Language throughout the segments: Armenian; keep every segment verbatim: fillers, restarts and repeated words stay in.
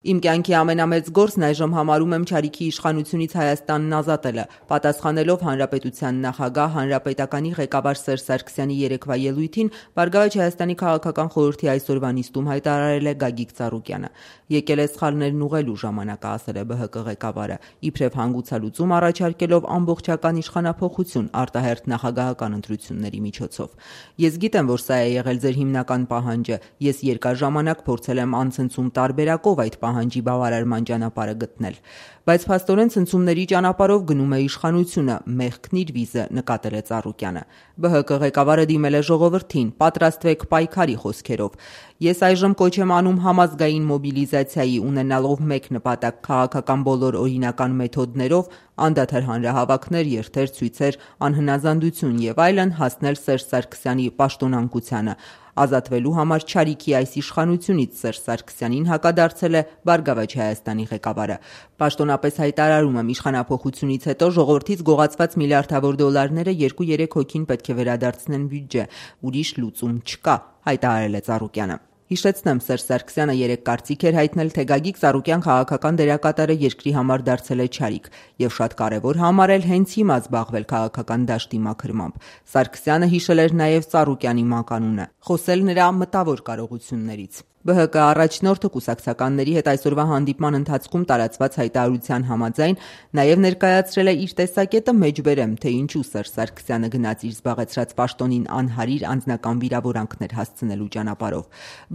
Իմ կյանքի ամենամեծ գործն այժմ համարում եմ Չարիքի իշխանությունից Հայաստանն ազատելը, պատասխանելով Հանրապետության նախագահ, Հանրապետականի ղեկավար Սերժ Սարգսյանի երեկվա ելույթին, Բարգավաճ Հայաստանի քաղաքական խորհրդի այսօրվա նիստում հայտարարել է Գագիկ Ծառուկյանը։ Եկել է սխալներն ուղղելու ժամանակը, ասել է ԲՀԿ ղեկավարը, իբրև հանգուցալուծում առաջարկելով ամբողջական իշխանափոխություն արտահերթ նախագահական ընտրությունների միջոցով։ Ես գիտեմ, որ սա է եղել ձեր հիմնական պահանջը, ես երկար ժամանակ փորձել եմ անցնցում տարբերակով այդ պահանջի բավարարման ճանապարհը գտնել, բայց փաստորեն ցնցումների ճանապարհով գնում է իշխանությունը, մեղքն իր վիզը, նկատել է Ծառուկյանը։ ԲՀԿ ղեկավարը դիմել է ժողովրդին, պատրաստվեք պայքարի խոսքերով։ Ես այժմ կոչ եմ անում համազգային մոբիլիզացիայի, ունենալով մեկ նպատակ՝ քաղաքական բոլոր օրինական մեթոդներով, անդադար հանրահավաքներ, երթեր, ցույցեր, անհնազանդություն եւ այլն հասնել Սերժ Սարգսյանի պաշտոնանկությանը։ Ազատվելու համար Չարիքի այս իշխանությունից Սերժ Սարգսյանին հակադարձել է Բարգավաճ Հայաստանի ղեկավարը։ Պաշտոնապես հայտարարում եմ, իշխանափոխությունից հետո ժողովրդից գողացված միլիարդավոր դոլարները երկու-երեք հոգին պետք է վերադարձնեն բյուջե, ուրիշ լուծում չկա, հայտարարել է Ծառուկյանը։ Հիշեցնեմ, Սերժ Սարգսյանը երեկ կարծիք էր հայտնել, թե Գագիկ Ծառուկյան քաղաքական դերակատարը երկրի համար դարձել է չարիք եւ շատ կարեւոր համարել հենց հիմա զբաղվել քաղաքական դաշտի մաքրմամբ։ Սարգսյանը հիշել էր նաեւ Ծառուկյանի մականունը, խոսել նրա մտավոր կարողություններից։ ԲՀԿ առաջնորդը կուսակցականների հետ այսօրվա հանդիպման ընթացքում տարածված հայտարարության համաձայն նաև ներկայացրել է իր տեսակետը մեջբերեմ, թե ինչու Սերժ Սարգսյանը գնաց իր զբաղեցրած պաշտոնին անհարիր անձնական վիրավորանքներ հասցնելու ճանապարհով։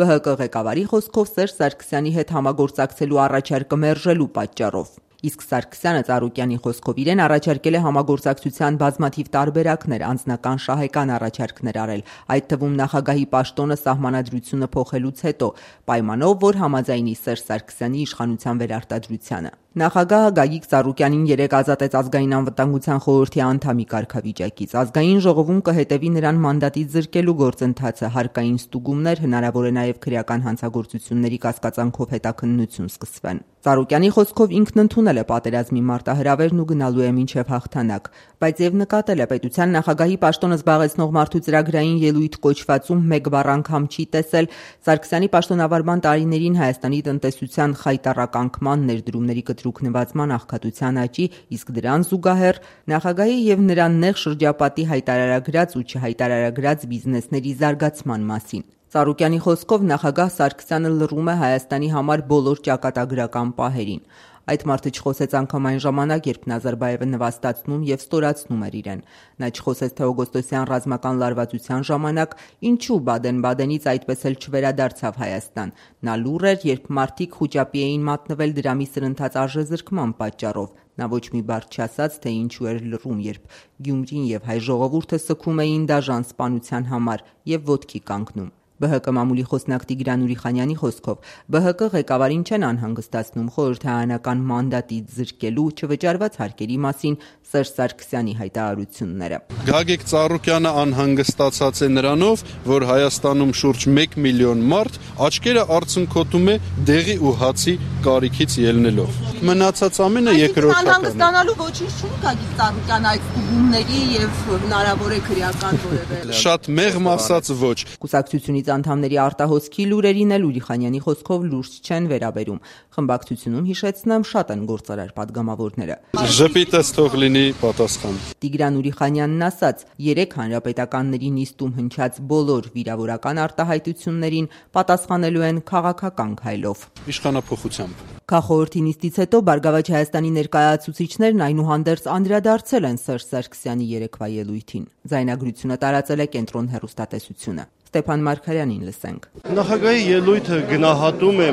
ԲՀԿ ղեկավարի խոսքով Սերժ Սարգսյանի հետ համագործակցելու առաջարկը մերժելու պատճառով։ Իսկ Սարգսյանը Ծառուկյանի խոսքով իրեն առաջարկել է համագործակցության բազմաթիվ տարբերակներ, անձնական շահեկան առաջարկներ արել, այդ թվում նախագահի պաշտոնը սահմանադրությունը փոխելուց հետո, պայմանով, որ համաձայնի Սերժ Սարգսյանի իշխանության վերարտադրությանը։ Նախագահը Գագիկ Ծառուկյանին երեկ ազատեց ազգային անվտանգության խորհրդի անդամի կարգավիճակից։ Ազգային ժողովում կհետևի նրան մանդատից զրկելու գործընթացը, հարկային ստուգումներ, հնարավոր է նաև քրեական հանցագործությունների կասկածանքով հետաքննություն սկսվեն։ Ծառուկյանի խոսքով ինքն ընդունել է պատերազմի մարտահրավերն ու գնալու է մինչև հաղթանակ, բայց եւ նկատել է պետության նախագահի պաշտոնը զբաղեցնող մարդու ծրագրային ելույթ կոչվածում մեկ բառ անգամ չի տեսել Սարգսյանի պաշտոնավարման տարիներին Հայաստանի տնտեսության խայտառականկման, ներդրումների կտրուկ նվազման աղքատության աճի, իսկ դրան զուգահեռ նախագահի եւ նրան նեղ շրջապատի հայտարարագրած ու չհայտարարագրած բիզնեսների զարգացման մասին։ Ծառուկյանի խոսքով նախագահ Սարգսյանը լռում է Հայաստանի համար բոլոր ճակատագրական պահերին։ Այդ մարդը չխոսեց անգամ այն ժամանակ, երբ Նազարբաևը նվաստացնում եւ ստորացնում էր իրեն։ Նա չխոսեց թե օգոստոսյան ռազմական լարվածության ժամանակ ինչու Բադեն-Բադենից այդպես էլ չվերադարձավ Հայաստան։ Նա լուռ էր, երբ մարդիկ խուճապի էին մատնվել դրամի սրընթաց արժեզրկման պատճառով։ Նա ոչ մի բառ չասաց, թե ինչու էր լռում, երբ Գյումրին եւ հայ ժողովուրդը սգում էին դաժան սպանության համար եւ ոտքի կանգնում։ ԲՀԿ մամուլի խոսնակ Տիգրան Ուրիխանյանի խոսքով ԲՀԿ ղեկավարին չեն անհանգստացնում խորհրդարանական մանդատից զրկելու չվճարված հարկերի մասին Սերժ Սարգսյանի հայտարարությունները։ Գագիկ Ծառուկյանը անհանգստացած է նրանով, որ Հայաստանում շուրջ մեկ միլիոն մարդ աչքերը արցունքոտում է դեղի ու հացի կարիքից ելնելով։ Մնացած ամենը երկրորդական է։ Անհանգստանալու ոչինչ չունի Գագիկ Ծառուկյանը այդ ուղումների եւ հնարավոր է քրեական որևէ։ Շատ մեղմ ասած ոչ։ Կուսակցությունից անդամների արտահոսքի լուրերին էլ Ուրիխանյանի խոսքով լուրջ չեն վերաբերում։ Խմբակցությունում հիշեցնեմ շատ են գործարար падգամավորները։ Ժպիտս թող լինի պատասխան։ Տիգրան Ուրիխանյանն ասաց, երեք հանրապետականների նիստում հնչած բոլոր վիրավորական արտահայտություններին պատասխանելու են քաղաքական քայլով։ Իշխանափոխությամբ։ Քաղաքորթի նիստից հետո Բարգավաճ Հայաստանի ներկայացուցիչներն այնուհանդերձ անդրադարձել են Սերժ Սարգսյանի երեկվա ելույթին։ Ձայնագրությունը տարածել է Կենտրոն հեռուստատեսությունը։ Ստեփան Մարգարյանին լսենք։ Նախագահի ելույթը գնահատում է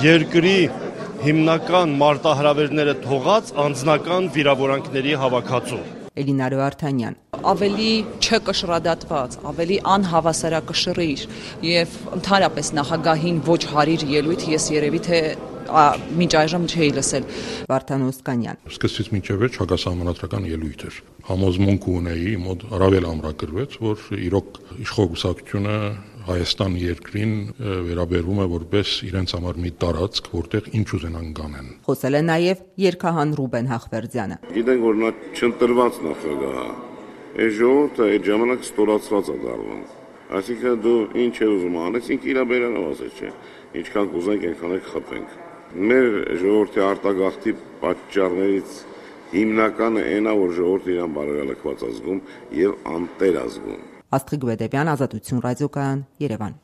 երկրի հիմնական մարտահրավերները թողած անձնական վիրավորանքների հավաքածու։ Էլինա Վարդանյան։ Ավելի չկշռադատված, ավելի անհավասարակշռիր եւ ընդհանրապես նախագահին ոչ հարիր ելույթ ես երևի թե մինչ այժմ չէի լսել։ Վարդան Օսկանյան։ Սկզբից մինչև վերջ հակասահմանադրական ելույթ էր։ Համոզմունք ունեի, մոտ առավել ամրագրվեց, որ իրոք իշխող կուսակցությունը Հայաստան երկրին վերաբերվում է որպես իրենց համար մի տարածք, որտեղ ինչ ուզենան կանեն։ Խոսել է նաև երգահան Ռուբեն Հախվերդյանը։ Գիտենք, որ նա չընտրված նախագահ է։ Այս ժողովուրդը այդ ժամանակ ստորացված է դառնում։ Այսինքն դու ինչ ես ուզում անես, ինքը իր բերանով ասես չէ։ Ինչքան կուզենք, այնքան էլ խփենք։ Մեր ժողովրդի արտագաղթի պատճառներից հիմնականը այն է, որ ժողովուրդը իրան բարոյալքված ազգում եւ անտեր ազգում։ Աստղիկ Բեդեբյան, Ազատություն ռադիոկայան, Երևան։